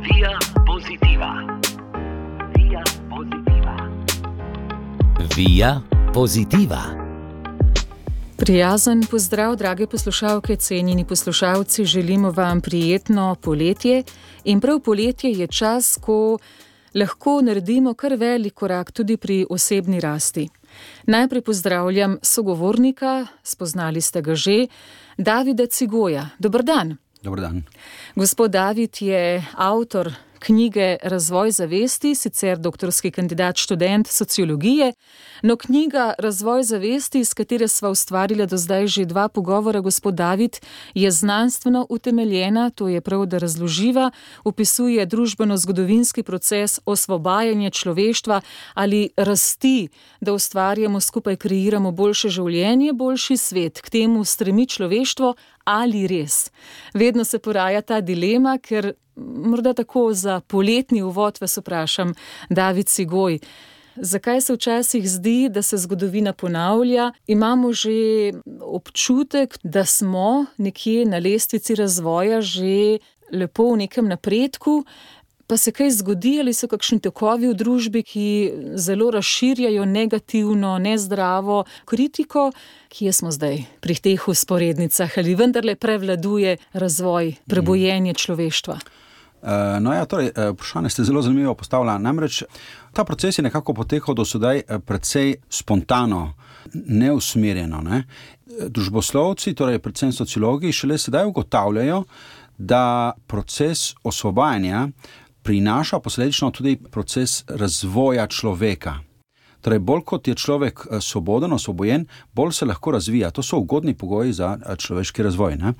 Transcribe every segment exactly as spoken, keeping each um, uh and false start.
Via Positiva. Via Positiva. Via Positiva. Prijazen pozdrav, drage poslušalke, cenjeni poslušalci, želimo vam prijetno poletje in prav poletje je čas, ko lahko naredimo kar velik korak tudi pri osebni rasti. Najprej pozdravljam sogovornika, spoznali ste ga že, Davida Cigoja. Dober dan. Dober dan. Gospod David je avtor knjige Razvoj zavesti, sicer doktorski kandidat, študent sociologije, no knjiga Razvoj zavesti, s katere sva ustvarila do zdaj že dva pogovora, gospod David, je znanstveno utemeljena, to je prav, da razloživa, opisuje družbeno-zgodovinski proces osvobajanja človeštva ali rasti, da ustvarjamo skupaj, kreiramo boljše življenje, boljši svet, k temu stremi človeštvo ali res. Vedno se poraja ta dilema, ker morda tako za poletni uvod vas vprašam, David Cigoj, zakaj se včasih zdi, da se zgodovina ponavlja? Imamo že občutek, da smo nekje na lestvici razvoja že lepo v nekem napredku, pa se kaj zgodi ali so kakšni tokovi v družbi, ki zelo razširjajo negativno, nezdravo kritiko, kje smo zdaj pri teh usporednicah, ali vendarle prevladuje razvoj, prebojenje človeštva? No ja, torej, vprašanje ste zelo zanimivo postavila. Namreč ta proces je nekako potekal do sedaj precej spontano, neusmerjeno. Ne? Družboslovci, torej predvsem sociologi, šele sedaj ugotavljajo, da proces osvobajanja prinaša posledično tudi proces razvoja človeka. Torej, bolj kot je človek svoboden, osvobojen, bolj se lahko razvija. To so ugodni pogoji za človeški razvoj. Ne?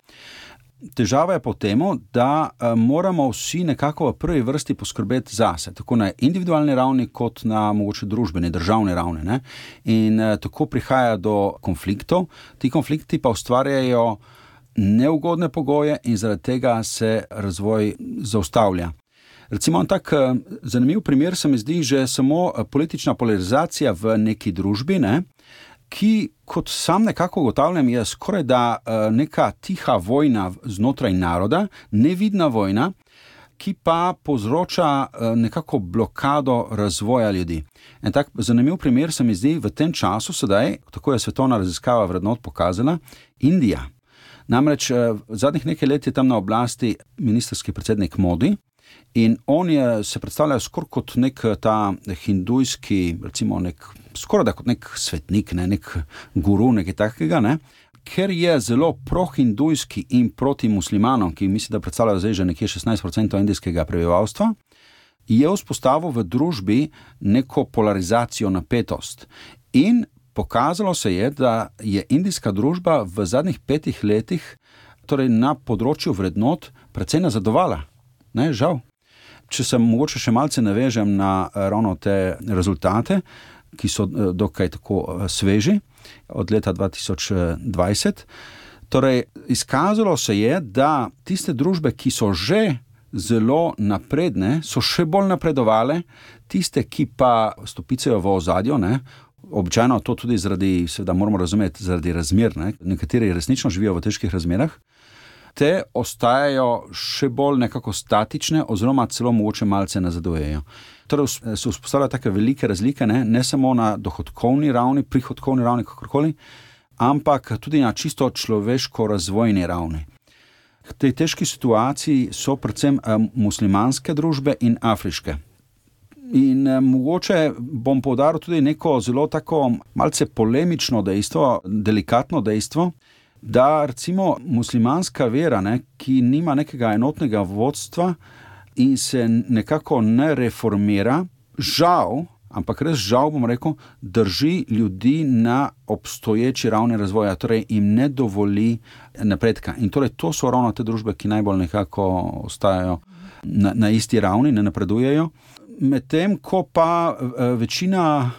Težava je po temu, da moramo vsi nekako v prvi vrsti poskrbeti zase, tako na individualni ravni, kot na mogoče družbeni, državni ravni. Ne? In tako prihaja do konfliktov. Ti konflikti pa ustvarjajo neugodne pogoje in zaradi tega se razvoj zaustavlja. Recimo, tak zanimiv primer se mi zdi že samo politična polarizacija v neki družbi, ne? Ki, kot sam nekako ugotavljam, je skoraj da neka tiha vojna znotraj naroda, nevidna vojna, ki pa povzroča nekako blokado razvoja ljudi. En tak zanimiv primer se mi zdi v tem času sedaj, tako je svetovna raziskava vrednot pokazala, Indija. Namreč v zadnjih nekaj let je tam na oblasti ministrski predsednik Modi in on je, se predstavlja skoraj kot nek ta hindujski, recimo nek, skoraj da kot nek svetnik, ne, nek guru, nekaj takega, ne, ker je zelo prohindujski in proti muslimanom, ki mislim, da predstavljajo zdaj že nekje šestnajst procentov indijskega prebivalstva, je vzpostavil v družbi neko polarizacijo, napetost. In pokazalo se je, da je indijska družba v zadnjih petih letih, torej na področju vrednot, precej nazadovala. Ne, žal. Če se mogoče še malce navežem na ravno te rezultate, ki so dokaj tako sveži, od leta dva tisoč dvajset. Torej, izkazalo se je, da tiste družbe, ki so že zelo napredne, so še bolj napredovale, tiste, ki pa stopicajo v ozadju, ne, običajno to tudi zaradi, seveda moramo razumeti, zaradi razmer, ne, nekateri resnično živijo v težkih razmerah, te ostajajo še bolj nekako statične oziroma celo mogoče malce nazadujejo. Torej se vzpostavljajo take velike razlike, ne, ne samo na dohodkovni ravni, prihodkovni ravni, kakorkoli, ampak tudi na čisto človeško-razvojni ravni. V tej težki situaciji so predvsem muslimanske družbe in afriške. In eh, mogoče bom poudaril tudi neko zelo tako malce polemično dejstvo, delikatno dejstvo, da recimo muslimanska vera, ne, ki nima nekega enotnega vodstva in se nekako ne reformira, žal, ampak res žal bom rekel, drži ljudi na obstoječi ravni razvoja, torej jim ne dovoli napredka. In torej to so ravno te družbe, ki najbolj nekako ostajajo na, na isti ravni, ne napredujejo. Medtem ko pa večina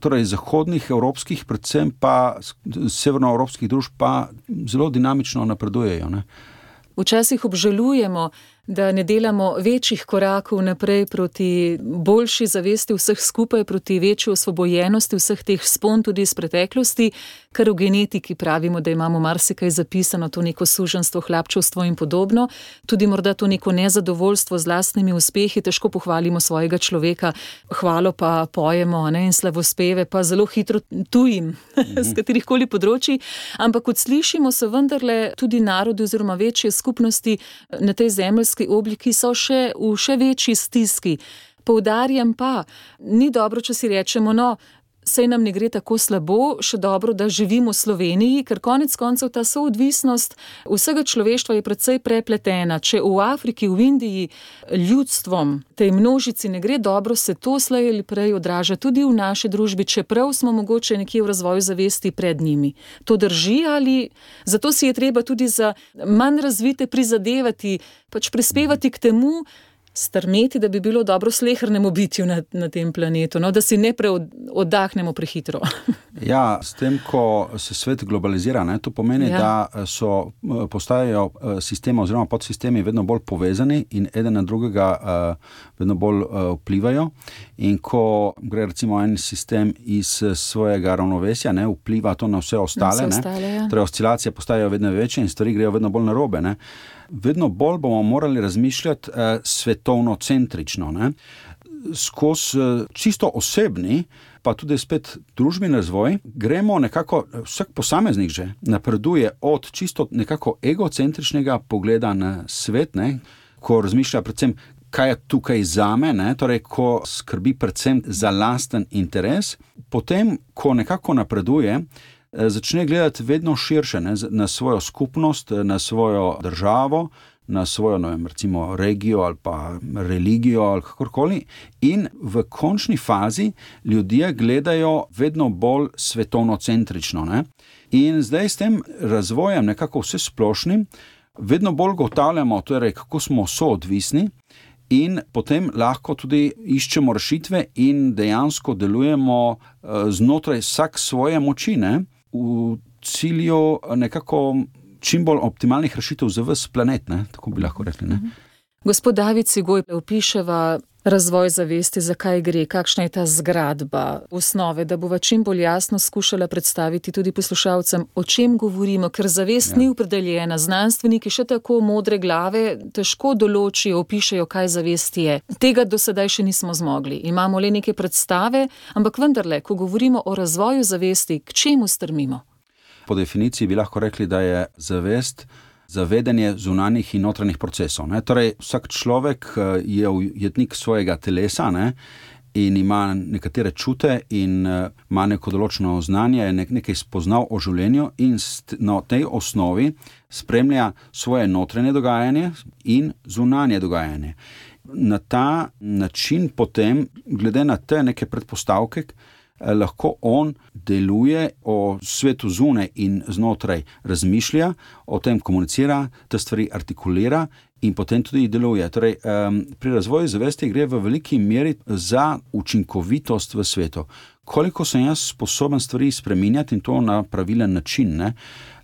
torej zahodnih evropskih, predvsem pa severnoevropskih družb pa zelo dinamično napredujejo. Ne. Včasih obžalujemo, da ne delamo večjih korakov naprej proti boljši zavesti vseh skupaj, proti večji osvobojenosti vseh teh spon tudi iz preteklosti, kar v genetiki pravimo, da imamo marsikaj zapisano, to neko suženstvo, hlapčevstvo in podobno, tudi morda to neko nezadovoljstvo z lastnimi uspehi, težko pohvalimo svojega človeka, hvalo pa pojemo, ne, in slavospeve pa zelo hitro tujim, mm-hmm. z katerihkoli področji, ampak kot slišimo, so vendarle tudi narodi oziroma večje skupnosti na tej zemeljski obliki so še v še večji stiski. Poudarjam pa, ni dobro, če si rečemo, no, sej nam ne gre tako slabo, še dobro, da živimo v Sloveniji, ker konec koncev ta soodvisnost vsega človeštva je precej prepletena. Če v Afriki, v Indiji ljudstvom, tej množici ne gre dobro, se to slej ali prej odraža tudi v naši družbi, čeprav smo mogoče nekje v razvoju zavesti pred njimi. To drži ali zato si je treba tudi za manj razvite prizadevati, pač prispevati k temu, strmeti, da bi bilo dobro slehernemu bitju na, na tem planetu, no, da si ne preoddahnemo prehitro. Ja, s tem, ko se svet globalizira, ne, to pomeni, ja. da so, postajajo sistemi oziroma podsistemi vedno bolj povezani in eden na drugega uh, vedno bolj uh, vplivajo. In ko gre recimo en sistem iz svojega ravnovesja, ne, vpliva to na vse ostale, na vse ostale ne, ja. Torej oscilacije postajajo vedno večje in stvari grejo vedno bolj narobe, ne. Vedno bolj bomo morali razmišljati eh, svetovno-centrično, ne? Skozi eh, čisto osebni, pa tudi spet družbeni razvoj, gremo nekako, vsak posameznik že napreduje od čisto nekako egocentričnega pogleda na svet, ne? Ko razmišlja predvsem, kaj je tukaj zame, ne? Torej, ko skrbi predvsem za lasten interes, potem, ko nekako napreduje, začne gledati vedno širše, ne, na svojo skupnost, na svojo državo, na svojo, ne vem, recimo regijo ali pa religijo ali kakorkoli in v končni fazi ljudje gledajo vedno bolj svetovnocentrično, ne. In zdaj s tem razvojem nekako vse splošnim vedno bolj ugotavljamo, torej, kako smo soodvisni in potem lahko tudi iščemo rešitve in dejansko delujemo znotraj vsak svoje moči, ne, v cilju nekako čim bolj optimalnih rešitev za ves planet, ne? Tako bi lahko rekli. Ne? Gospod David Cigoj, opiševa razvoj zavesti, zakaj gre, kakšna je ta zgradba osnove, da bova čim bolj jasno skušala predstaviti tudi poslušalcem, o čem govorimo, ker zavest ja. ni opredeljena. Znanstveniki še tako modre glave težko določijo, opišejo, kaj zavest je. Tega do sedaj še nismo zmogli. Imamo le neke predstave, ampak vendarle, ko govorimo o razvoju zavesti, k čemu strmimo? Po definiciji bi lahko rekli, da je zavest zavedanje zunanjih in notranjih procesov. Ne? Torej, vsak človek je ujetnik svojega telesa, ne? In ima nekatere čute in ima neko določeno znanje, nek, nekaj spoznal o življenju in na tej osnovi spremlja svoje notranje dogajanje in zunanje dogajanje. Na ta način potem, glede na te neke predpostavke, lahko on deluje o svetu zunaj in znotraj razmišlja, o tem komunicira, te stvari artikulira in potem tudi deluje. Torej, um, pri razvoju zavesti gre v veliki meri za učinkovitost v svetu. Koliko sem jaz sposoben stvari spreminjati in to na pravilen način, ne?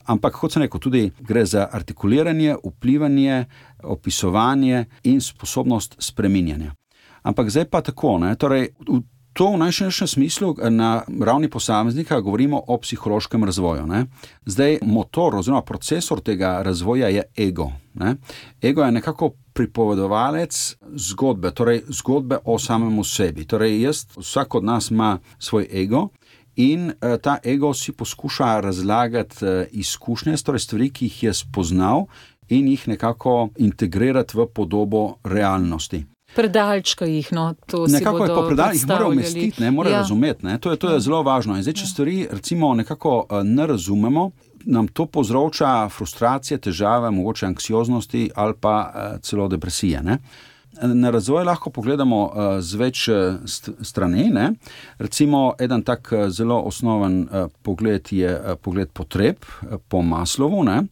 Ampak, kot sem rekel, tudi gre za artikuliranje, vplivanje, opisovanje in sposobnost spreminjanja. Ampak zdaj pa tako, ne? Torej, v To v najširšem smislu na ravni posameznika govorimo o psihološkem razvoju. Ne? Zdaj motor oziroma procesor tega razvoja je ego. Ne? Ego je nekako pripovedovalec zgodbe, torej zgodbe o samemu sebi. Torej jaz, vsak od nas ima svoj ego in ta ego si poskuša razlagati izkušnje, torej stvari, ki jih je spoznal in jih nekako integrirati v podobo realnosti. Predalčka jih, no, to si nekako bodo je po predalčka, jih mora umestiti, ne, mora ja. razumeti, ne, to je, to je zelo važno. In zdaj, če stvari recimo nekako ne razumemo, nam to povzroča frustracije, težave, mogoče anksioznosti ali pa celo depresije, ne. Na razvoj lahko pogledamo z več strani, ne. Recimo, eden tak zelo osnoven pogled je pogled potreb po Maslowu, ne.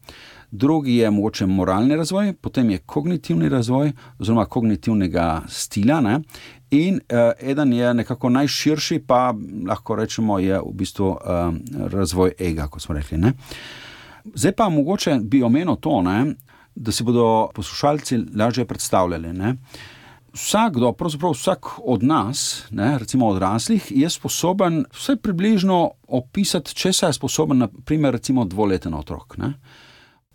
Drugi je mogoče moralni razvoj, potem je kognitivni razvoj oziroma kognitivnega stila, ne? In uh, eden je nekako najširši, pa lahko rečemo je v bistvu uh, razvoj ega, kot smo rekli. Ne? Zdaj pa mogoče bi omenil to, ne? da si bodo poslušalci lažje predstavljali. Ne? Vsakdo, pravzaprav vsak od nas, ne, recimo odraslih, je sposoben vse približno opisati, česa je sposoben, na primer, recimo dvoleten otrok. Ne.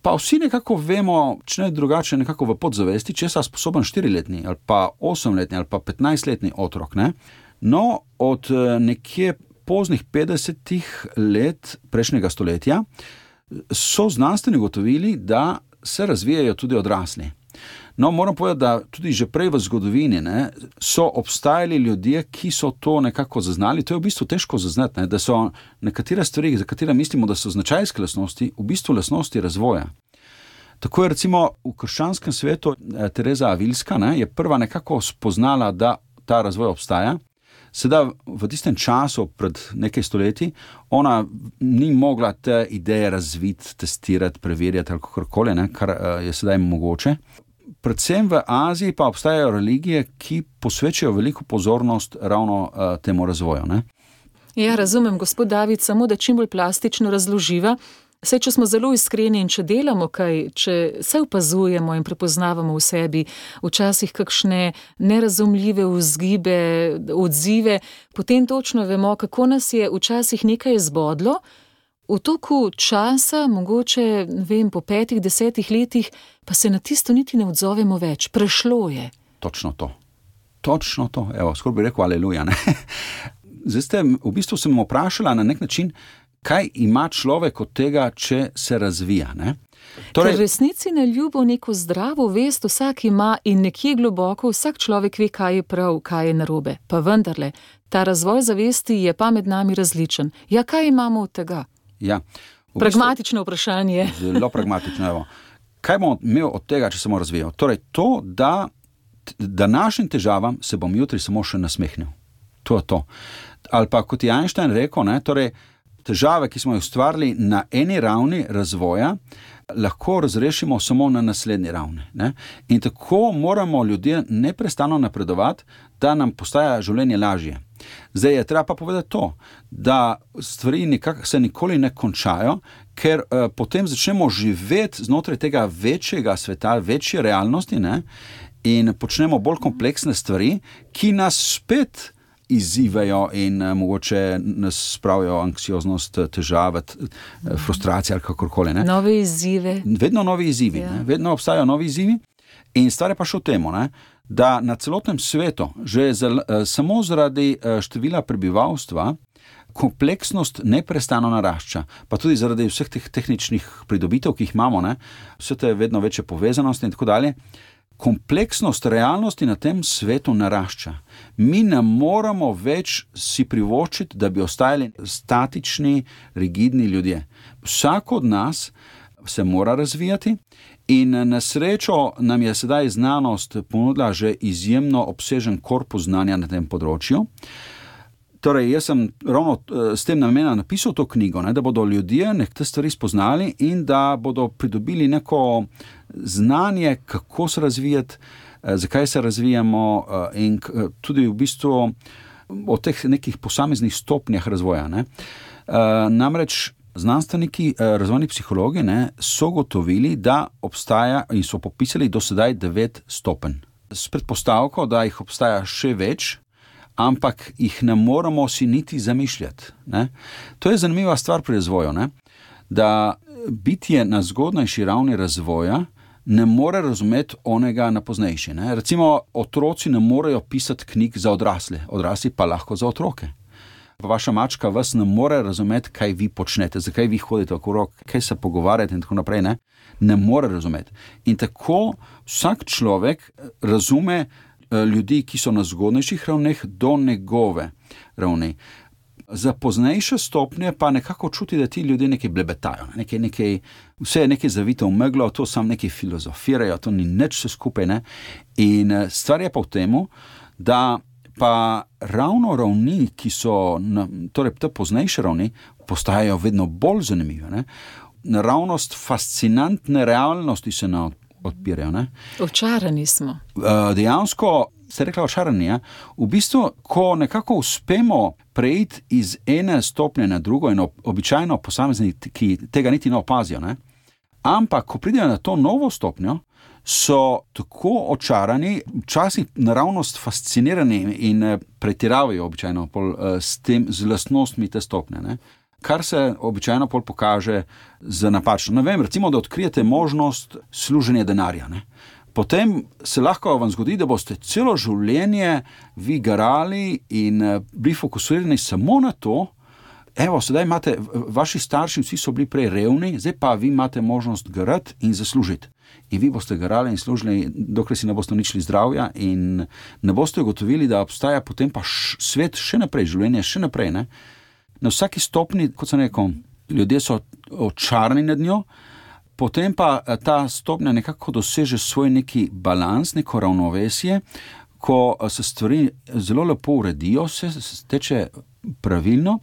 Pa vsi nekako vemo, če ne drugače, nekako v podzavesti, česa je sposoben štiriletni ali pa osemletni ali pa petnajstletni otrok. Ne. No, od nekje poznih petdesetih let prejšnjega stoletja so znanstveni ugotovili, da se razvijajo tudi odrasli. No, moram povedati, da tudi že prej v zgodovini ne, so obstajali ljudje, ki so to nekako zaznali. To je v bistvu težko zaznati, ne, da so nekatere stvari, za katere mislimo, da so značajske lastnosti, v bistvu lastnosti razvoja. Tako je recimo v krščanskem svetu Tereza Avilska ne, je prva nekako spoznala, da ta razvoj obstaja. Sedaj v tistem času, pred nekaj stoletji, ona ni mogla te ideje razviti, testirati, preverjati ali kakorkoli, ne, kar je sedaj mogoče. Predvsem v Aziji pa obstajajo religije, ki posvečajo veliko pozornost ravno uh, temu razvoju. Ne? Ja, razumem, gospod David, samo da čim bolj plastično razloživa. Saj, če smo zelo iskreni in če delamo kaj, če se opazujemo in prepoznavamo v sebi včasih kakšne nerazumljive vzgibe, odzive, potem točno vemo, kako nas je včasih nekaj zbodlo. V toku časa, mogoče, ne vem, po petih, desetih letih, pa se na tisto niti ne odzovemo več. Prešlo je. Točno to. Točno to. Evo, skoraj bi rekel aleluja. Ne? Zdaj ste, v bistvu sem vprašala na nek način, kaj ima človek od tega, če se razvija. Ne? Torej, ker resnici na ljubo neko zdravo vest vsak ima in nekje globoko vsak človek ve, kaj je prav, kaj je narobe. Pa vendarle, ta razvoj zavesti je pa med nami različen. Ja, kaj imamo od tega? Ja, pragmatično vprašanje. Zelo pragmatično. Evo. Kaj bom imel od tega, če se bom razvijal? Torej, to, da današnjim težavam se bom jutri samo še nasmehnil. To je to. Ali pa, kot je Einstein rekel, ne, torej, težave, ki smo jih ustvarili na eni ravni razvoja, lahko razrešimo samo na naslednji ravni. Ne? In tako moramo ljudje neprestano napredovati, da nam postaja življenje lažje. Zdaj je treba pa povedati to, da stvari nikak, se nikoli ne končajo, ker uh, potem začnemo živeti znotraj tega večjega sveta, večje realnosti, ne? In počnemo bolj kompleksne stvari, ki nas spet izzivajo in uh, mogoče nas spravijo anksioznost, težave, frustracije ali kakorkoli. Ne? Nove izzive. Vedno novi izzivi, ja. ne? Vedno obstajajo novi izzivi in stvar je pa še v temu, ne? Da na celotnem svetu, že zel, samo zaradi števila prebivalstva, kompleksnost neprestano narašča, pa tudi zaradi vseh teh tehničnih pridobitev, ki jih imamo, ne? Vse te vedno večje povezanosti in tako dalje. Kompleksnost realnosti na tem svetu narašča. Mi ne moramo več si privoščiti, da bi ostajali statični, rigidni ljudje. Vsak od nas se mora razvijati in na srečo nam je sedaj znanost ponudila že izjemno obsežen korpus znanja na tem področju. Torej, jaz sem ravno s tem namenom napisal to knjigo, ne, da bodo ljudje nekaj stvari spoznali in da bodo pridobili neko znanje, kako se razvijati, zakaj se razvijamo in tudi v bistvu o teh nekih posameznih stopnjah razvoja. Ne. Namreč znanstveniki, razvojni psihologi ne, so gotovili, da obstaja in so popisali do sedaj devet stopenj. S predpostavko, da jih obstaja še več, ampak jih ne moramo si niti zamišljati. Ne. To je zanimiva stvar pri razvoju, ne, da bitje na zgodnejši ravni razvoja ne more razumeti onega na poznejši. Ne. Recimo, otroci ne morejo pisati knjig za odrasle, odrasli pa lahko za otroke. Vaša mačka vas ne more razumeti, kaj vi počnete, zakaj vi hodite okrog, kaj se pogovarjate in tako naprej, ne, ne more razumeti. In tako vsak človek razume ljudi, ki so na zgodnejših ravneh, do njegove ravni. Za poznejše stopnje pa nekako čuti, da ti ljudje nekaj blebetajo, nekaj, nekaj, vse je nekaj zavito v meglo, to sam nekaj filozofirajo, to ni nič vse skupaj. Ne? In stvar je pa v temu, da pa ravno ravni, ki so, torej te poznejše ravni, postajajo vedno bolj zanimive. Ne? Naravnost fascinantne realnosti se nam odpirajo. Ne? Očarani smo. Dejansko, ste rekla očarani, ja? V bistvu, ko nekako uspemo preiti iz ene stopnje na drugo in običajno posamezniki tega niti ne opazijo, ne? Ampak, ko pridejo na to novo stopnjo, so tako očarani, včasih naravnost fascinirani in pretiravajo običajno pol, s tem, z lastnostmi te stopnje, ne? Kar se običajno pol pokaže za napačno. Ne vem, recimo, da odkrijete možnost služenja denarja, ne? Potem se lahko vam zgodi, da boste celo življenje vi garali in bili fokusirani samo na to. Evo, sedaj imate, vaši starši vsi so bili prej revni, zdaj pa vi imate možnost garati in zaslužiti. In vi boste garali in služili, dokler si ne boste uničili zdravja in ne boste ugotovili, da obstaja potem pa š, svet še naprej, življenje še naprej, ne? Na vsaki stopni, kot sem rekel, ljudje so očarani nad njo, potem pa ta stopnja nekako doseže svoj neki balans, neko ravnovesje, ko se stvari zelo lepo uredijo, se teče pravilno,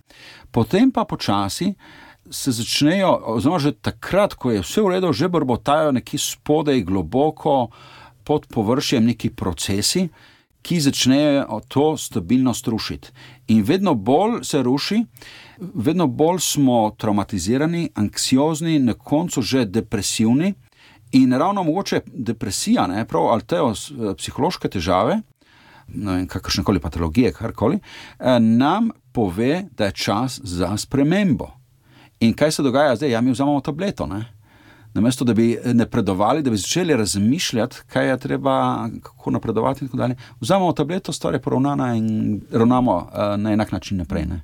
potem pa počasi se začnejo, oziroma že takrat, ko je vse v redu, že brbotajo neki spodaj globoko pod površjem neki procesi, ki začnejo to stabilnost rušiti. In vedno bolj se ruši, vedno bolj smo traumatizirani, anksiozni, na koncu že depresivni in ravno mogoče depresija, ne, prav, ali te psihološke težave, no, kakršnekoli patologije, karkoli, nam pove, da je čas za spremembo. In kaj se dogaja zdaj? Ja, mi vzamemo tableto, ne? Namesto, da bi napredovali, da bi začeli razmišljati, kaj je treba, kako napredovati in tako dalje. Vzamemo tableto, stvar je poravnana in ravnamo uh, na enak način naprej, ne?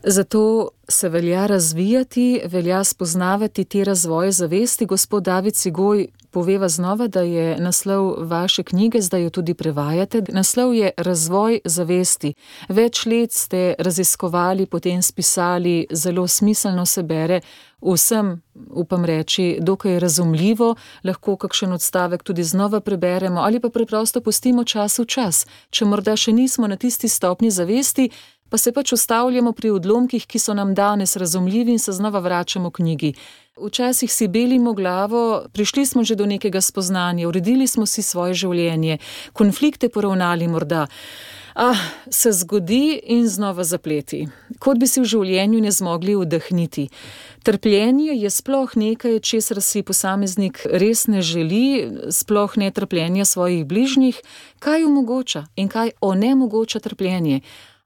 Zato se velja razvijati, velja spoznavati te razvoje zavesti. Gospod David Cigoj poveva znova, da je naslov vaše knjige, zdaj jo tudi prevajate. Naslov je Razvoj zavesti. Več let ste raziskovali, potem spisali, zelo smiselno se bere, vsem, upam reči, dokaj razumljivo, lahko kakšen odstavek tudi znova preberemo ali pa preprosto pustimo čas v čas. Če morda še nismo na tisti stopni zavesti, pa se pač ustavljamo pri odlomkih, ki so nam danes razumljivi in se znova vračamo k knjigi. Včasih si belimo glavo, prišli smo že do nekega spoznanja, uredili smo si svoje življenje, konflikte poravnali morda. Ah, se zgodi in znova zapleti. Kot bi si v življenju ne zmogli vdahniti. Trpljenje je sploh nekaj, česar si posameznik res ne želi, sploh ne trpljenja svojih bližnjih. Kaj omogoča in kaj onemogoča trpljenje?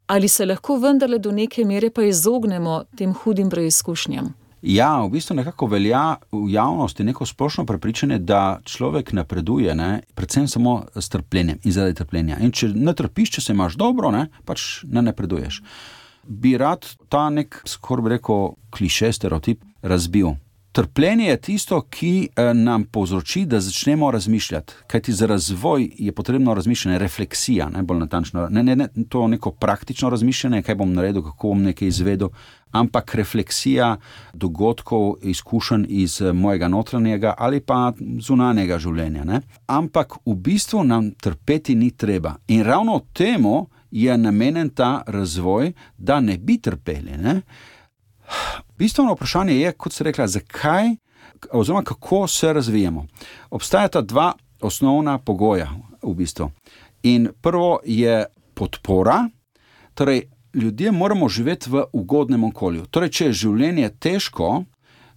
Ali se lahko vendarle do neke mere pa izognemo tem hudim preizkušnjam? Ja, v bistvu nekako velja v javnosti neko splošno prepričanje, da človek napreduje, ne, predvsem samo s trpljenjem in zaradi trpljenja. In če ne trpiš, če se imaš dobro, ne, pač ne napreduješ. Bi rad ta nek, skoraj bi rekel, kliše, stereotip razbil. Trpljenje je tisto, ki nam povzroči, da začnemo razmišljati. Kajti za razvoj je potrebno razmišljanje, refleksija, ne, bolj natančno. Ne, ne, ne, to neko praktično razmišljanje, kaj bom naredil, kako bom nekaj izvedel, ampak refleksija dogodkov, izkušenj iz mojega notranjega ali pa zunanjega življenja, ne. Ampak v bistvu nam trpeti ni treba. In ravno temu je namenjen ta razvoj, da ne bi trpeli, ne. Bistveno vprašanje je, kot se rekla, zakaj oziroma kako se razvijamo. Obstajata dva osnovna pogoja v bistvu. In prvo je podpora, torej ljudje moramo živeti v ugodnem okolju. Torej, če je življenje težko,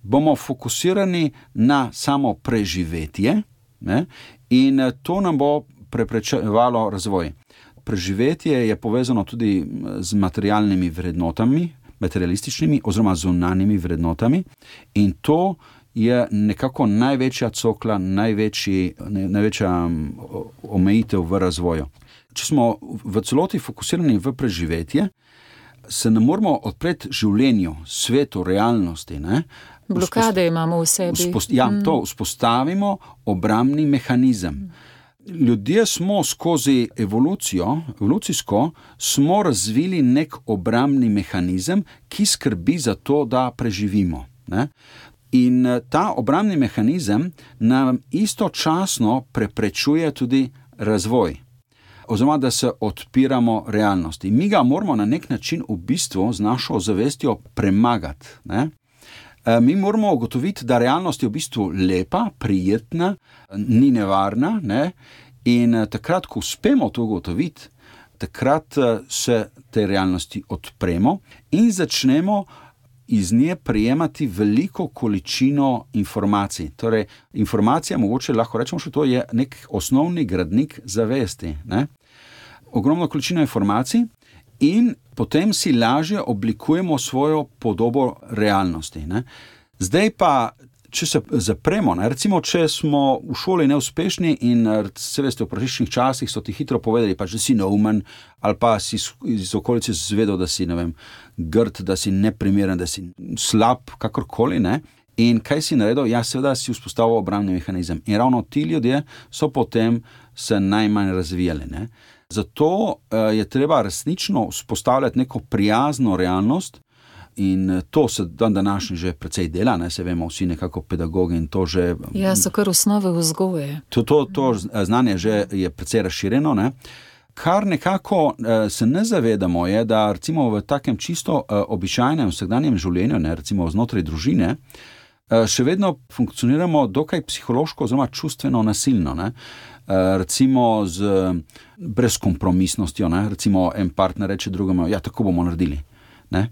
bomo fokusirani na samo preživetje, ne? In to nam bo preprečevalo razvoj. Preživetje je povezano tudi z materialnimi vrednotami, materialističnimi oziroma zunanjimi vrednotami in to je nekako največja cokla, največji, največja omejitev v razvoju. Če smo v celoti fokusirani v preživetje, se ne moramo odpreti življenju, svetu, realnosti, ne? Blokade imamo v sebi. Vzpost, ja, to vzpostavimo obrambni mehanizem. Ljudje smo skozi evolucijo, evolucijsko, smo razvili nek obrambni mehanizem, ki skrbi za to, da preživimo, ne? In ta obrambni mehanizem nam istočasno preprečuje tudi razvoj, oziroma da se odpiramo realnosti. Mi ga moramo na nek način v bistvu z našo zavestjo premagati, ne? Mi moramo ugotoviti, da realnost je v bistvu lepa, prijetna, ni nevarna, ne? In takrat, ko uspemo to ugotoviti, takrat se te realnosti odpremo in začnemo iz nje prijemati veliko količino informacij. Torej, informacija, mogoče lahko rečemo, še to je nek osnovni gradnik zavesti. Ne? Ogromno količino informacij in potem si lažje oblikujemo svojo podobo realnosti. Ne? Zdaj pa, če se zapremo, ne? Recimo, če smo v šoli neuspešni in se veste, v prejšnjih časih so ti hitro povedali, pač, da si neumen, ali pa si iz okolice zvedel, da si, ne vem, grd, da si neprimeren, da si slab, kakorkoli, ne? In kaj si naredil? Ja, seveda si vzpostavil obrambni mehanizem. In ravno ti ljudje so potem se najmanj razvijali, ne? Zato uh, je treba resnično vzpostavljati neko prijazno realnost. In to se dan današnji že precej dela, ne, se vemo vsi nekako pedagogi in to že... Ja, so kar osnove vzgoje. To, to, to znanje že je precej razširjeno, ne. Kar nekako se ne zavedamo je, da recimo v takem čisto običajnem vsakdanjem življenju, ne, recimo znotraj družine, še vedno funkcioniramo dokaj psihološko oziroma čustveno nasilno, ne. Recimo z brezkompromisnostjo, ne, recimo en partner reče drugemu, ja, tako bomo naredili, ne.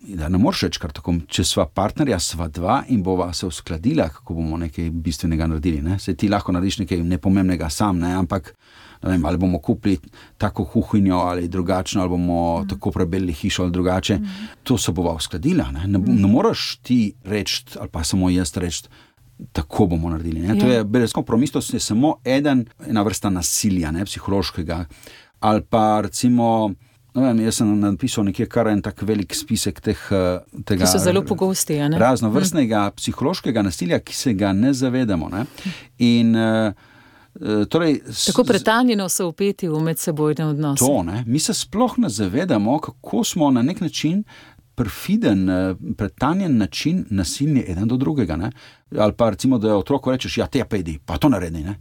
Da ne moreš reči kar tako, če sva partnerja, sva dva in bova se uskladila, kako bomo nekaj bistvenega naredili. Ne? Se ti lahko narediš nekaj nepomembnega sam, ne? Ampak ne vem, ali bomo kupili tako kuhinjo ali drugačno, ali bomo mm. tako prebelili hišo ali drugače. Mm. To se bova uskladila. Ne, ne, ne moreš ti reči, ali pa samo jaz reči, tako bomo naredili. Ne? To je brezkompromisnost, je samo eden, ena vrsta nasilja, ne, psihološkega. Ali pa recimo... No, vem, jaz sem napisal nekje kar en tak velik spisek teh, tega... Ki so zelo pogosti, ja, ne? Raznovrstnega hm. psihološkega nasilja, ki se ga ne zavedamo, ne? In, uh, torej... Tako pretanjeno so vpeti v medsebojne odnose. To, ne? Mi se sploh ne zavedamo, kako smo na nek način perfiden, pretanjen način nasilni eden do drugega, ne? Ali pa recimo, da otroku rečeš, ja, te pa idi, pa to naredi, ne?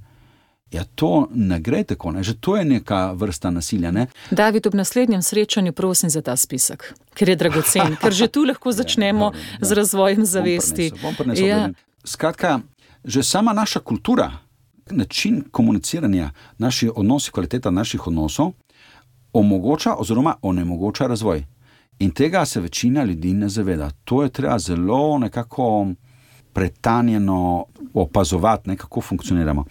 Ja, to ne gre tako, ne? Že to je neka vrsta nasilja, ne? David, ob naslednjem srečanju prosim za ta spisek, ker je dragocen, ker že tu lahko začnemo ja, dobro, z razvojem zavesti. Bom prinesel, bom prinesel, ja. Skratka, že sama naša kultura, način komuniciranja, naši odnosi, kvaliteta naših odnosov omogoča oziroma onemogoča razvoj. In tega se večina ljudi ne zaveda. To je treba zelo nekako pretanjeno opazovati, ne, kako funkcioniramo.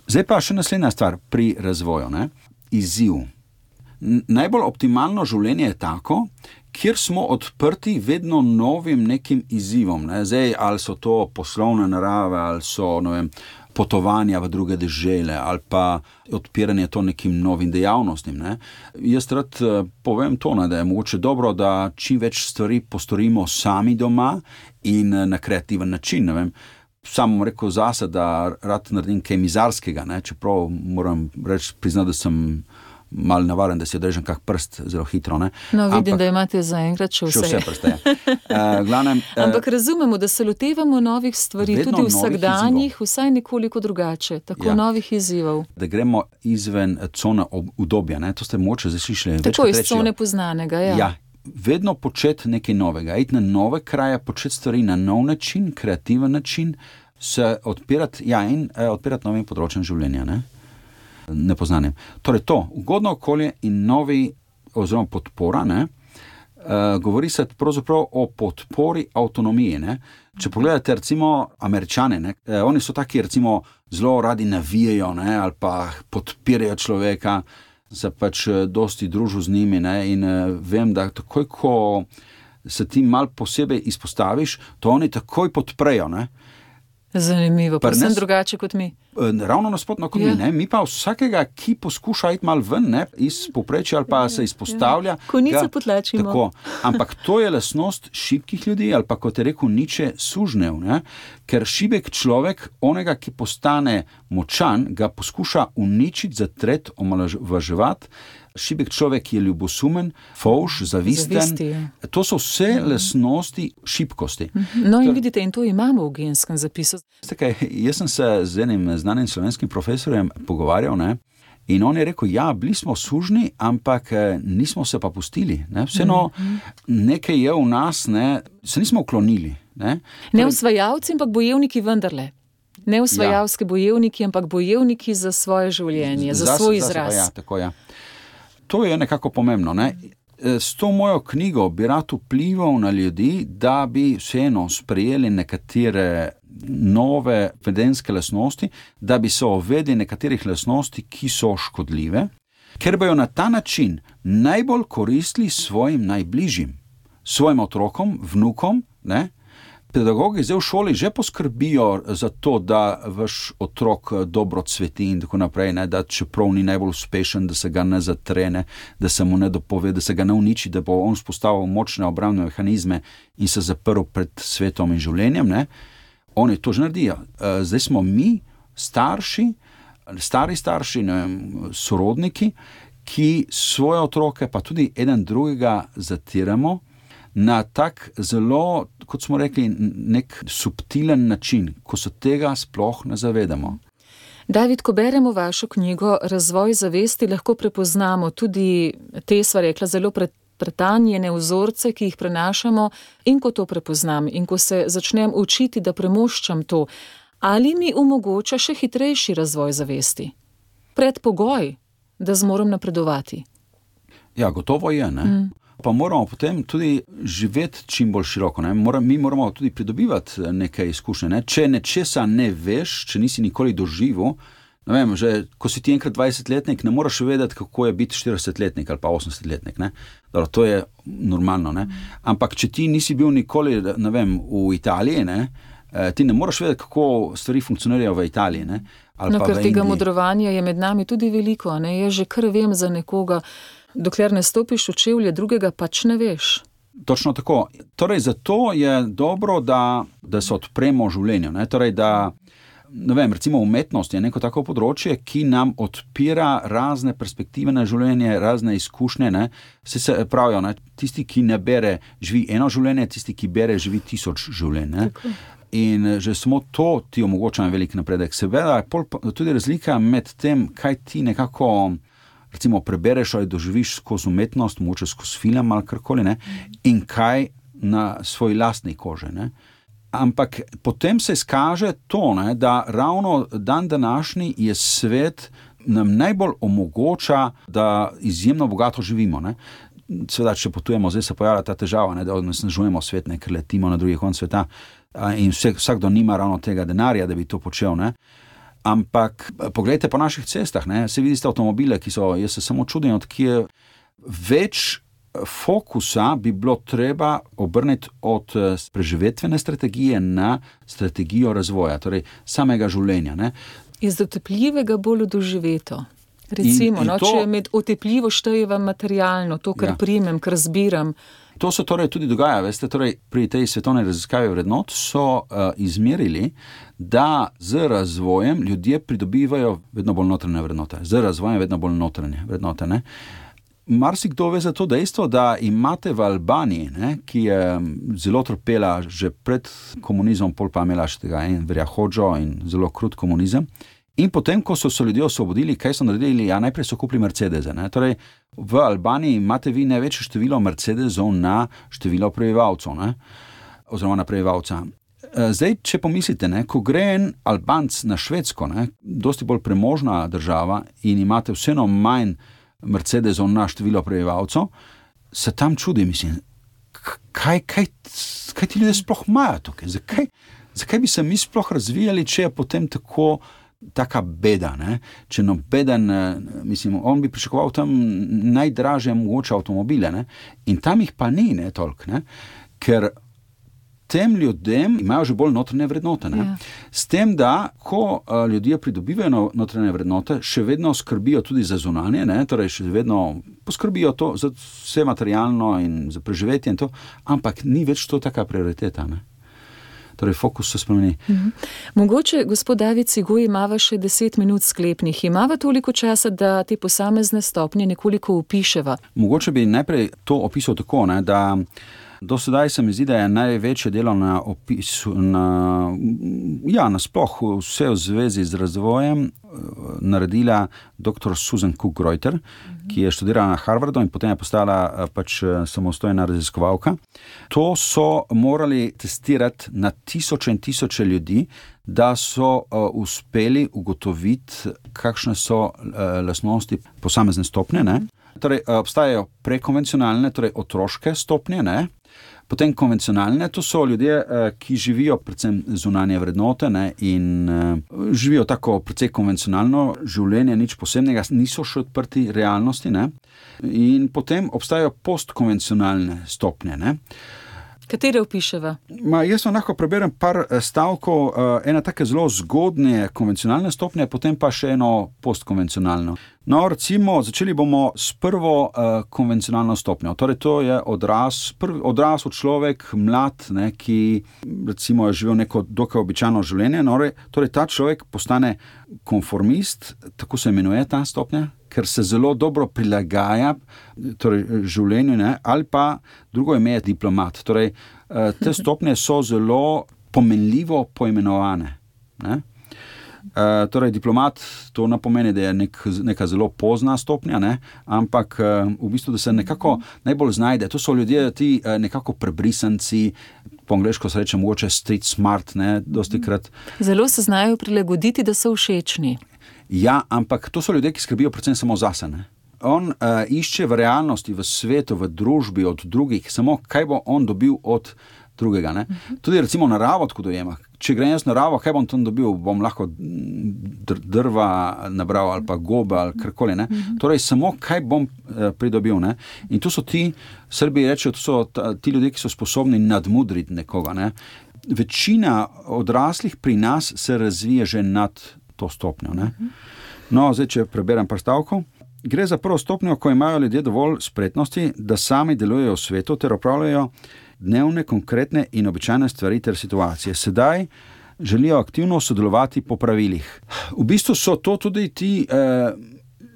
Zdaj pa še naslednja stvar pri razvoju, ne? Izziv. Najbolj optimalno življenje je tako, kjer smo odprti vedno novim nekim izzivom. Ne? Zdaj, ali so to poslovne narave, ali so, ne vem, potovanja v druge dežele, ali pa odpiranje to nekim novim dejavnostim. Ne? Jaz rad povem to, ne, da je mogoče dobro, da čim več stvari postorimo sami doma in na kreativen način, ne vem. Sam bom rekel zase, da rad naredim kaj mizarskega, ne? Čeprav moram reči, priznati, da sem malo navaren, da si odrežem kak prst zelo hitro. Ne? No, vidim, Ampak, da imate zaenkrat še vse. Še vse prste, ja. uh, glavnem, uh, Ampak razumemo, da se lotevamo novih stvari, tudi vsakdanjih, vsaj nekoliko drugače, tako ja. Novih izzivov. Da gremo izven cone udobja, ne? To ste mogoče zaslišali. Tako iz cone poznanega, ja. Ja. Vedno početi nekaj novega, iti na nove kraje, početi stvari na nov način, kreativen način, se odpirati, ja, in eh, odpirati novim področjem življenja, ne? Nepoznanim. Torej to, ugodno okolje in novi, oziroma podpora, ne? Uh, govori se pravzaprav o podpori avtonomiji, ne? Če pogledate recimo Američane, ne? Eh, oni so taki recimo zelo radi navijajo, ne? Ali pa podpirajo človeka, se pač dosti družil z njimi, ne, in uh, vem, da takoj, ko se ti mal posebej izpostaviš, to oni takoj podprejo, ne. Zanimivo, pa sem drugače kot mi. Ravno nasprotno kot ja. mi, ne. Mi pa vsakega, ki poskuša iti mal ven, ne, iz povprečja ali pa ja, se izpostavlja. Ja. Konico potlačimo. Tako, ampak to je lastnost šibkih ljudi, ali pa kot je rekel Nietzsche, sužnjev, ne. Ker šibek človek, onega, ki postane močan, ga poskuša uničiti, zatret, omalovaževati. Šibek človek je ljubosumen, fovš, zavisten. Zavisti, ja. To so vse ja. lastnosti šibkosti. No in vidite, in to imamo v genskem zapisu. Kaj, jaz sem se z enim znanim slovenskim profesorjem pogovarjal, ne? In on je rekel, ja, bili smo sužni, ampak nismo se pa pustili. Ne? Vseeno nekaj je v nas, ne? Se nismo uklonili. Ne, ne usvajalci, ampak bojevniki vendarle. Ne usvajalski ja. bojevniki, ampak bojevniki za svoje življenje, za, za svoj izraz. Za, ja, tako, ja. To je nekako pomembno. Ne? S to mojo knjigo bi rad vplival na ljudi, da bi vseeno sprejeli nekatere nove vedenske lastnosti, da bi se uvedli nekaterih lastnosti, ki so škodljive, ker bojo na ta način najbolj koristili svojim najbližjim, svojim otrokom, vnukom, ne? Pedagogi zdaj v šoli že poskrbijo za to, da vaš otrok dobro cveti in tako naprej, ne? Da čeprav ni najbolj uspešen, da se ga ne zatrene, da se mu ne dopove, da se ga ne uniči, da bo on spostavil močne obrambne mehanizme in se zaprl pred svetom in življenjem, ne? Oni to že naredijo. Zdaj smo mi, starši, stari starši, ne vem, sorodniki, ki svoje otroke, pa tudi eden drugega zatiramo na tak zelo, kot smo rekli, nek subtilen način, ko se tega sploh ne zavedamo. David, ko beremo vašo knjigo Razvoj zavesti, lahko prepoznamo tudi te, sva rekla, zelo pred pretanjene vzorce, ki jih prenašamo, in ko to prepoznam in ko se začnem učiti, da premoščam to, ali mi omogoča še hitrejši razvoj zavesti? Predpogoj, da zmorem napredovati. Ja, gotovo je, ne? Mm. Pa moramo potem tudi živeti čim bolj široko, ne? Moram, mi moramo tudi pridobivati nekaj izkušnje, ne? Če nečesa ne veš, če nisi nikoli doživel, ne vem, že ko si ti enkrat dvajsetletnik, ne moraš vedeti, kako je biti štiridesetletnik ali pa osemdesetletnik, ne? Dobro, to je normalno, ne? Ampak če ti nisi bil nikoli, ne vem, v Italiji, ne? Ti ne moraš vedeti, kako stvari funkcionirajo v Italiji, ne? Ali no, pa ker tega modrovanja je med nami tudi veliko, ne? Jaz že kar vem za nekoga, dokler ne stopiš v čevlje drugega, pač ne veš. Točno tako. Torej, zato je dobro, da, da se odpremo življenju, ne? Torej, da ne vem, recimo umetnost je neko tako področje, ki nam odpira razne perspektive na življenje, razne izkušnje, ne. Vse se pravijo, ne, tisti, ki ne bere, živi eno življenje, tisti, ki bere, živi tisoč življenj, ne. In že samo to ti omogoča velik napredek. Seveda je pol tudi razlika med tem, kaj ti nekako recimo prebereš ali doživiš skozi umetnost, mogoče skozi film ali karkoli, ne, in kaj na svoji lastni koži, ne. Ampak potem se izkaže to, ne, da ravno dan današnji je svet nam najbolj omogoča, da izjemno bogato živimo, ne. Seveda, če potujemo, zdaj se pojavlja ta težava, ne, da onesnažujemo svet, ne, ker letimo na drugi konec sveta in vse, vsakdo nima ravno tega denarja, da bi to počel, ne. Ampak poglejte po naših cestah, ne, se vidite avtomobile, ki so, jaz se samo čudim, od kje več fokusa bi bilo treba obrniti od preživetvene strategije na strategijo razvoja, torej samega življenja, ne. Iz otepljivega bolj v doživeto. Recimo, in, in no, to, če med otepljivo štejeva materialno, to, kar ja. primem, kar zbiram. To se torej tudi dogaja, veste, torej pri tej svetovni raziskavi vrednot so uh, izmerili, da z razvojem ljudje pridobivajo vedno bolj notranje vrednote, z razvojem vedno bolj notranje vrednote, ne. Marsikdo ve za to dejstvo, da imate v Albaniji, ne, ki je zelo trpela že pred komunizmom, pol pa imela še tega en verjahodžo in zelo krut komunizem. In potem, ko so se ljudje osvobodili, kaj so naredili? Ja, najprej so kupili Mercedese, ne. Torej, v Albaniji imate vi največje število Mercedesov na število prebivalcev, ne, oziroma na prebivalca. Zdaj, če pomislite, ne, ko gre en Albanc na Švedsko, ne, dosti bolj premožna država in imate vseeno manj Mercedesov na število prebivalcev, se tam čudi, mislim, kaj, kaj, kaj ti ljudje sploh imajo tukaj? Zakaj, zakaj bi se mi sploh razvijali, če je potem tako taka beda, ne? Če nobeden, mislim, on bi pričakoval tam najdražje mogoče avtomobile, ne? In tam jih pa ni, ne, toliko, ne? Ker tem ljudem imajo že bolj notranje vrednote, ne? Ja. S tem, da ko uh, ljudje pridobivajo notranje vrednote, še vedno skrbijo tudi za zunanje, ne? Torej še vedno poskrbijo to za vse materialno in za preživetje in to, ampak ni več to taka prioriteta, ne? Torej, fokus se spremeni. Mhm. Mogoče, gospod David Cigoj, imava še deset minut sklepnih. Imava toliko časa, da te posamezne stopnje nekoliko opiševa? Mogoče bi najprej to opisal tako, ne, da do sedaj se mi zdi, da je največje delo na opisu, na, ja, nasploh vse v zvezi z razvojem naredila doktor Susan Cook-Greuter, mm-hmm. ki je študirala na Harvardu in potem je postala pač samostojna raziskovalka. To so morali testirati na tisoče in tisoče ljudi, da so uh, uspeli ugotoviti, kakšne so uh, lastnosti posamezne stopnje, ne? Torej, obstajajo prekonvencionalne, torej otroške stopnje, ne? Potem konvencionalne, to so ljudje, ki živijo predvsem zunanje vrednote, ne? In živijo tako precej konvencionalno življenje, nič posebnega, niso še odprti realnosti, ne? In potem obstajajo postkonvencionalne stopnje, ne? Katere opiševa? Ma, jaz vam lahko preberem par stavkov, ena take zelo zgodnje konvencionalne stopnje, potem pa še eno postkonvencionalno. No, recimo, začeli bomo s prvo uh, konvencionalno stopnjo. Torej, to je odraz, prvi odrasel človek, mlad, ne, ki recimo je živel neko dokaj običajno življenje. No, torej, ta človek postane konformist, tako se imenuje ta stopnja, ker se zelo dobro prilagaja torej, življenju, ne, ali pa drugo ime je diplomat. Torej, uh, te stopnje so zelo pomenljivo poimenovane, ne. Uh, torej, diplomat to ne pomeni, da je nek, neka zelo pozna stopnja, ne? Ampak uh, v bistvu, da se nekako najbolj znajde. To so ljudje, ti uh, nekako prebrisanci, po angleško se reče mogoče street smart, ne, dosti krat. Zelo se znajo prilagoditi, da so všečni. Ja, ampak to so ljudje, ki skrbijo predvsem samo zase, ne. On uh, išče v realnosti, v svetu, v družbi od drugih, samo kaj bo on dobil od drugega, ne. Tudi recimo naravo tako dojema. Če grem jaz naravo, kaj bom tam dobil? Bom lahko drva nabral ali pa gobe ali karkoli, ne. Torej, samo kaj bom eh, pridobil, ne. In to so ti, Srbi rečejo, to so ta, ti ljudje, ki so sposobni nadmudriti nekoga, ne. Večina odraslih pri nas se razvije že nad to stopnjo, ne. No, zdaj, če preberem par stavkov. Gre za prvo stopnjo, ko imajo ljudje dovolj spretnosti, da sami delujejo v svetu ter opravljajo dnevne, konkretne in običajne stvari ter situacije. Sedaj želijo aktivno sodelovati po pravilih. V bistvu so to tudi ti eh,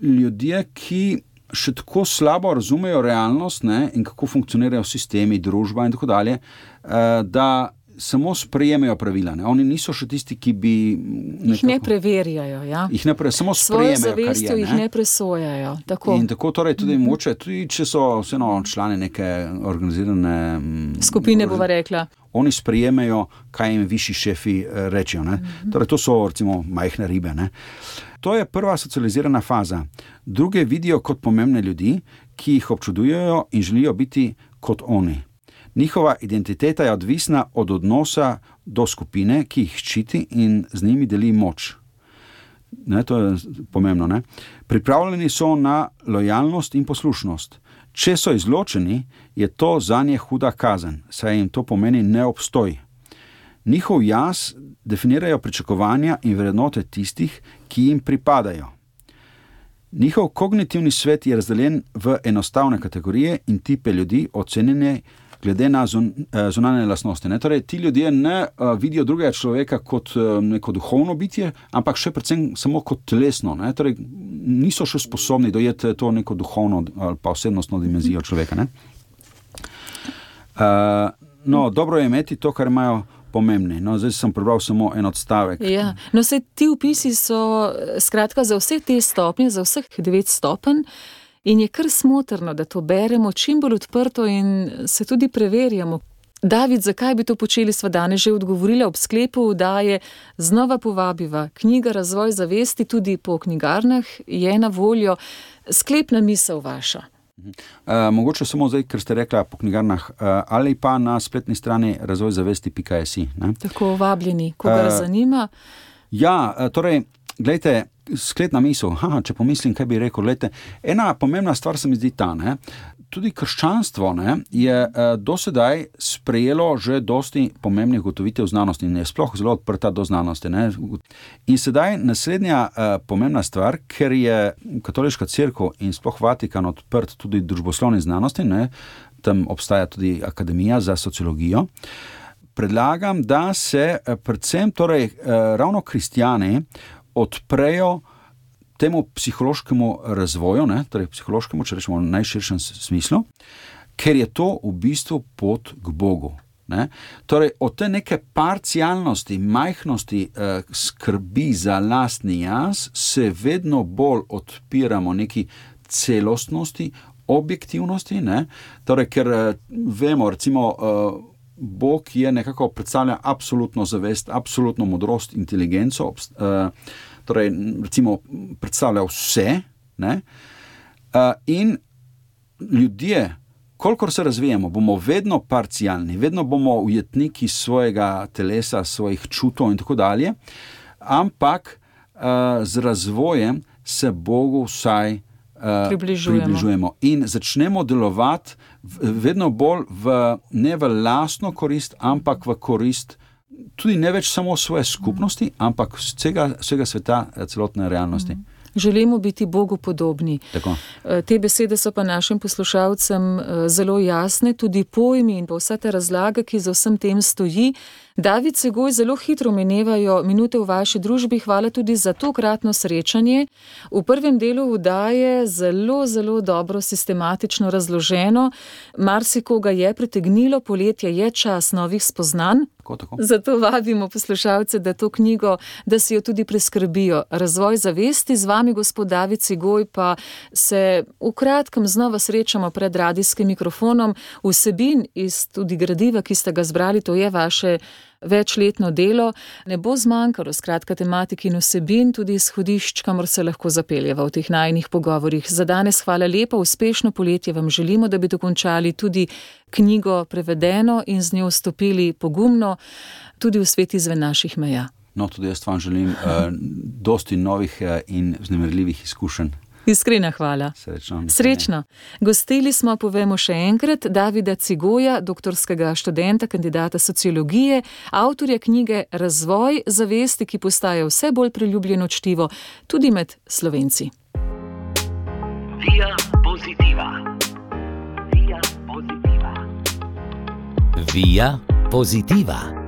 ljudje, ki še tako slabo razumejo realnost, ne, in kako funkcionirajo sistemi, družba in tako dalje, eh, da samo sprejemajo pravila. Ne. Oni niso še tisti, ki bi nekako, jih ne preverjajo, ja. Jih ne pre, samo sprejemajo, svojo zavestjo jih ne presojajo. Tako. In tako torej tudi mm-hmm. moče, tudi če so vseeno člani neke organizirane skupine, bova rekla. Oni sprejemajo, kaj jim višji šefi rečejo. Ne. Mm-hmm. Torej, to so recimo majhne ribe. Ne. To je prva socializirana faza. Druge vidijo kot pomembne ljudi, ki jih občudujejo in želijo biti kot oni. Njihova identiteta je odvisna od odnosa do skupine, ki jih ščiti in z njimi deli moč. Ne, to je pomembno, ne? Pripravljeni so na lojalnost in poslušnost. Če so izločeni, je to zanje huda kazen, saj jim to pomeni neobstoj. Njihov jaz definirajo pričakovanja in vrednote tistih, ki jim pripadajo. Njihov kognitivni svet je razdeljen v enostavne kategorije in tipe ljudi, ocenjene glede na zun, zunanje lastnosti. Ne? Torej, ti ljudje ne uh, vidijo drugega človeka kot uh, neko duhovno bitje, ampak še predvsem samo kot telesno. Ne? Torej, niso še sposobni dojeti to neko duhovno ali pa osebnostno dimenzijo človeka. Ne? Uh, no, dobro je imeti to, kar imajo pomembni. No, zdaj sem prebral samo en odstavek. Ja. No, vse ti vpisi so skratka za vse te stopnje, za vseh devet stopenj. In je kar smotrno, da to beremo čim bolj odprto in se tudi preverjamo. David, zakaj bi to počeli, sva danes že odgovorila ob sklepu, da je znova povabiva. Knjiga Razvoj zavesti tudi po knjigarnah je na voljo. Sklepna misel vaša. Uh, mogoče samo zdaj, ker ste rekla po knjigarnah, uh, ali pa na spletni strani razvoj zavesti pika si. Ne? Tako vabljeni, koga uh, zanima. Ja, uh, torej, gledajte, sklepna misel, Haha, če pomislim, kaj bi rekel, gledajte, ena pomembna stvar se mi zdi ta, ne? Tudi krščanstvo, ne, je eh, dosedaj sprejelo že dosti pomembnih ugotovitev znanosti in je sploh zelo odprta do znanosti. Ne? In sedaj naslednja eh, pomembna stvar, ker je katoliška cerkev in sploh Vatikan odprt tudi družboslovni znanosti, ne? Tam obstaja tudi akademija za sociologijo, predlagam, da se eh, predvsem torej, eh, ravno kristjani odprejo temu psihološkemu razvoju, ne, torej psihološkemu, če rečemo v najširšem smislu, ker je to v bistvu pot k Bogu. Ne. Torej, od te neke parcialnosti, majhnosti, eh, skrbi za lastni jaz, se vedno bolj odpiramo neki celostnosti, objektivnosti, ne. Torej, ker eh, vemo, recimo, eh, Bog je nekako predstavlja absolutno zavest, absolutno modrost, inteligenco, eh, torej, recimo, predstavlja vse, ne, uh, in ljudje, kolikor se razvijamo, bomo vedno parcialni, vedno bomo ujetniki svojega telesa, svojih čutov in tako dalje, ampak uh, z razvojem se Bogu vsaj uh, približujemo. približujemo in začnemo delovati vedno bolj v, ne v lastno korist, ampak v korist tudi ne več samo svoje skupnosti, ampak vsega, vsega sveta, celotne realnosti. Mm. Želimo biti Bogu podobni. Tako. Te besede so pa našim poslušalcem zelo jasne, tudi pojmi in pa vsa ta razlaga, ki za vsem tem stoji. David Cigoj, zelo hitro minevajo minute v vaši družbi. Hvala tudi za tokratno srečanje. V prvem delu vdaje zelo, zelo dobro sistematično razloženo. Marsikoga je pritegnilo, poletje je čas novih spoznanj. Tako, tako. Zato vabimo poslušalce, da to knjigo, da si jo tudi preskrbijo. Razvoj zavesti, z vami gospod David Cigoj, pa se v kratkem znova srečamo pred radijskim mikrofonom. Vsebin iz tudi gradiva, ki ste ga zbrali, to je vaše večletno delo, ne bo zmanjkalo, skratka tematik in vsebin, tudi izhodišč, kamor se lahko zapeljeva v teh najinih pogovorih. Za danes hvala lepa, uspešno poletje vam želimo, da bi dokončali tudi knjigo prevedeno in z njo vstopili pogumno tudi v svet izven naših meja. No, tudi jaz vam želim uh, dosti novih uh, in vznemirljivih izkušenj. Iskrena hvala. Srečno. Srečno. Gostili smo, povemo še enkrat, Davida Cigoja, doktorskega študenta, kandidata sociologije, avtorja knjige Razvoj zavesti, ki postaja vse bolj priljubljeno čtivo tudi med Slovenci. Via Positiva. Via Positiva. Via Positiva.